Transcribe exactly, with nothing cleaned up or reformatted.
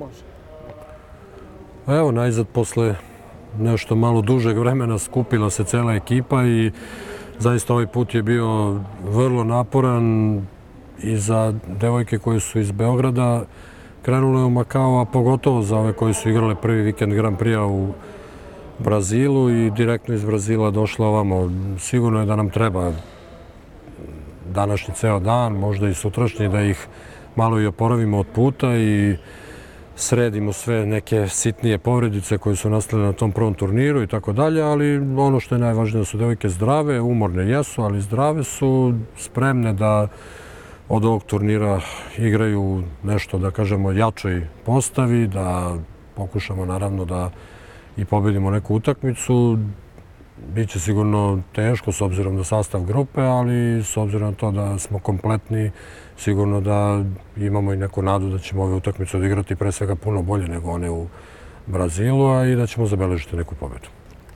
Može. Evo, najzad posle nešto malo dužeg vremena skupila se cela ekipa i zaista ovaj put je bio vrlo naporan i za devojke koje su iz Beograda krenule u Makao, a pogotovo za ove koje su igrale prvi vikend Grand Prix-a u Brazilu i direktno iz Brazila došla ovamo. Sigurno je da nam treba današnji ceo dan, možda i sutrašnji, da ih malo i oporavimo od puta i sredimo sve neke sitnije povredice koje su nastale na tom prvom turniru i tako dalje, ali ono što je najvažnije da su devojke zdrave, umorne jesu, ali zdrave su, spremne da od ovog turnira igraju nešto, da kažemo, jačoj postavi, da pokušamo naravno da i pobedimo neku utakmicu. Biće sigurno teško s obzirom na sastav grupe, ali s obzirom na to da smo kompletni, sigurno da imamo i neku nadu da ćemo ove utakmice odigrati pre svega puno bolje nego one u Brazilu, a i da ćemo zabeležiti neku pobedu.